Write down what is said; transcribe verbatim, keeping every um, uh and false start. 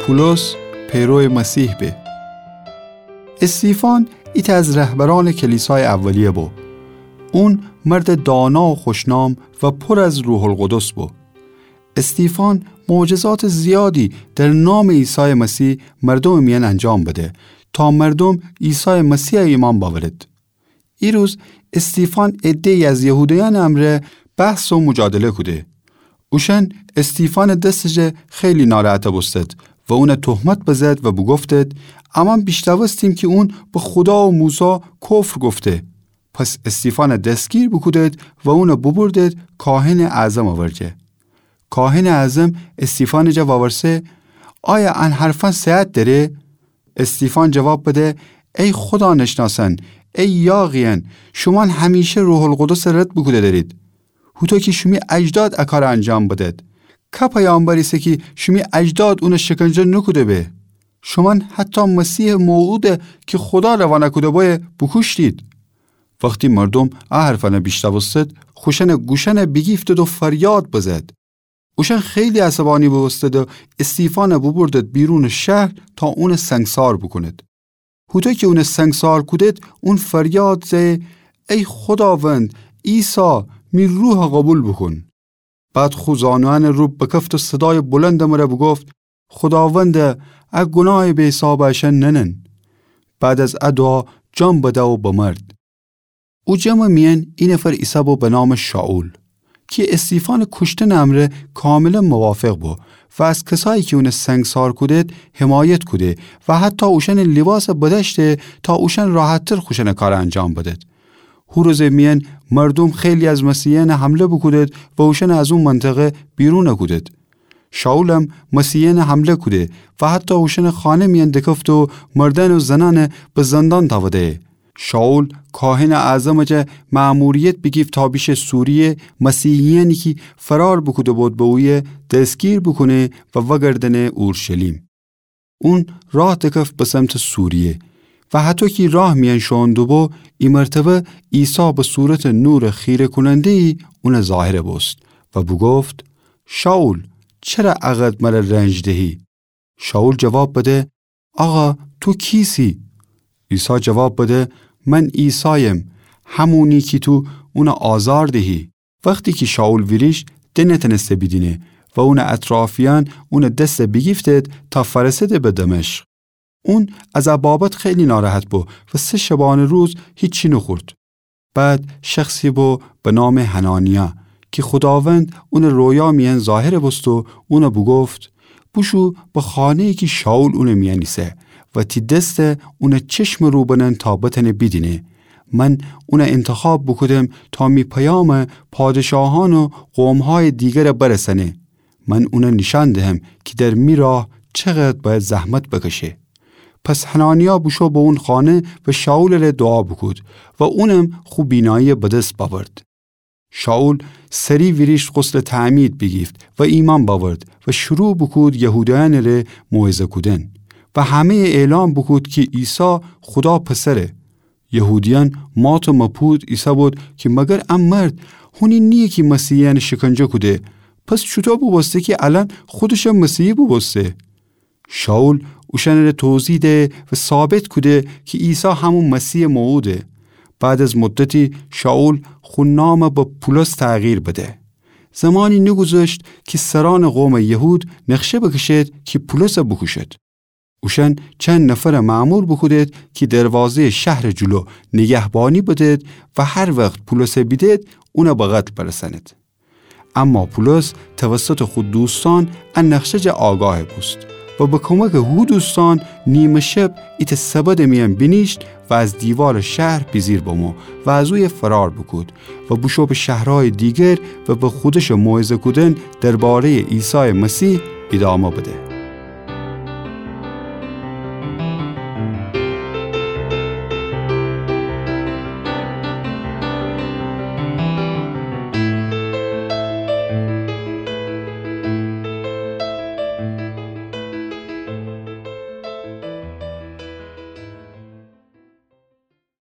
پولس پیرو مسیح به. استیفان ایتأ از رهبرأنٚ کلیسایٚ اولیه بو. اون مردٚ دانا و خوشنام و پر از روح‌القدس بو. استیفان معجزاتٚ زیادی در نامٚ عیسایٚ مسیح مردومٚ میأن انجام بده تا مردوم عیسایٚ مسیح ایمأن بأورد. ایروز استیفان عده‌یی از یهودیأنٚ امرأ بحث و مجادله کوده. اوشأن استیفانٚ دسٚ جا خیلی ناراحت بوستد و اون تهمت بزد و بوگفتد: امأن بیشنوستیم کی اون به خودا و موسی کفر گفته. پس استیفان دستگیر بوکودد و اون بوبردد کاهنٚ اعظمٚ ورجه. کاهنٚ اعظم استیفانٚ جا وورسه: آیا ان حرفأن صحت دأره؟ استیفان جواب بده: ای خودا نشناسأن، ای یاغیأن، شومأن همیشه روح‌القدس رد بوکوده دأرید. هوطو کی شیمی اجداد ا کار انجام بدد. که پیامبر ایسه کی شیمی اجداد اون شکنجه نوکوده به؟ شومأن حتی مسیحٚ موعود کی خودا روانه کوده بویه بوکوشتید. وختی مردوم ا حرفأن بیشنوستد، خوشأنٚ گوشأن بیگیفتد و فریاد بزد. اوشأن خیلی عصبانی بوبوستد و استیفان بوبردد بیرونٚ شهر تا اون سنگسار بوکوند. هوطو کی اون سنگسار کودد، اون فریاد زأیه: ای خوداوند، عیسی، می روح قوبیل بوکون. بعد خو زانویأنٚ رو بکفت و صدایٚ بلندٚ مره بوگفت: خوداوند، ا گوناهٚ بی‌حساب اشأن ننن. بعد از ا دوعا جان بده و بمرد. او جمعٚ میأن ای نفر ایسه بو به نامٚ شائول، کی استیفانٚ کوشتنٚ امرأ کاملا موافق بو و از کسایی کی اون سنگسار کودد حمایت کوده و حتی اوشأنٚ لیباس بدأشته تا اوشأن راحتتر خوشأنٚ کار انجام بدد. هو روزٚ میأن مردوم خیلی از مسیحیأن حمله بوکودد و اوشأن از او منطقه بیرون کودد. شائولم مسیحیأن حمله کوده و حتی اوشأنٚ خانه میأن دکفته و مردأن و زنأن به زندان تأوده. شائول کاهنٚ اعظمٚ جا مأموریت بیگیفت تا بیشه سوریه مسیحیأنی کی فرار بوکوده بود به اویه دستگیر بوکونه و وأگردأنه اورشلیم. اون راه دکفت به سمتٚ سوریه و هطو کی راه میأن شوئون دوبو، ای مرتبه عیسی به صورتٚ نورٚ خیره‌کوننده‌یی اون ظاهر بوست و بوگفت: شائول، چره ا قدر مره رنج دهی؟ شائول جواب بده: آقا، تو کیسی؟ عیسی جواب بده: من عیسایم، همونی کی تو اون آزار دهی. وختی کی شائول ویریشت، ده نتأنسته بیدینه و اونٚ اطرافیأن اونٚ دس بیگیفتد تا فأرسه‌ده به دمشق. اون از ا بابت خیلی ناراحت بو و سه شبانه روز هیچی نوخورد. بعد شخصی بو به نامٚ حنانیا کی خوداوند اونٚ رویا میأن ظاهر بوست و اون بوگفت: بوشو به خانه‌یی کی شائول اونٚ میأن ایسه و تی دس اونٚ چشمٚ رو بنن تا بتأنه بیدینه. من اون انتخاب بوکودم تا می پیام پادشاهأن و قومهای دیگر برسأنه. من اون نیشأن دهم کی در می راه چقدر بأید زحمت بکشه. پس حنانیا بوشو به اون خانه و شائولٚ ره دوعا بوکود و اونم خو بینایی بدس بأورد. شائول سری ویریشت غسلٚ تعمید بیگیفت و ایمأن بأورد و شروع بوکود یهودیأنٚ ره موعظه کودن و همه‌یٚ اعلام بوکود کی عیسی خودا پسره. یهودیأن مات و مبهوت ایسه‌بود کی مگر ا مرد هونی نییه کی مسیحیأن شکنجه کوده؟ پس چوطو بوبوسته کی الأن خودشم مسیحی بوبوسته؟ شائول اوشأنٚ ره توضیح ده و ثابت کوده کی عیسی همون مسیحٚ موعوده. بعد از مدتی شائول خو نام به پولس تغییر بده. زمانی نگوذشت کی سرأنٚ قومٚ یهود نقشه بکشد کی پولس بوکوشد. اوشأن چند نفر مأمور بوکودد کی دروازه‌یٚ شهرٚ جلو نگهبانی بدد و هر وخت پولس بیدد اون به قتل برسأند. اما پولس توسطٚ خو دوستأن ا نقشه جا آگاه بوست و به کمکٚ هو دوستأن نیمه شب ایتأ سبدٚ میأن بینیشت و از دیوارٚ شهر بیجیر بمو و از اویه فرار بوکود و بوشو به شهرهایٚ دیگر و به خودشٚ موعظه کودن درباره‌یٚ عیسایٚ مسیح ایدامه بده.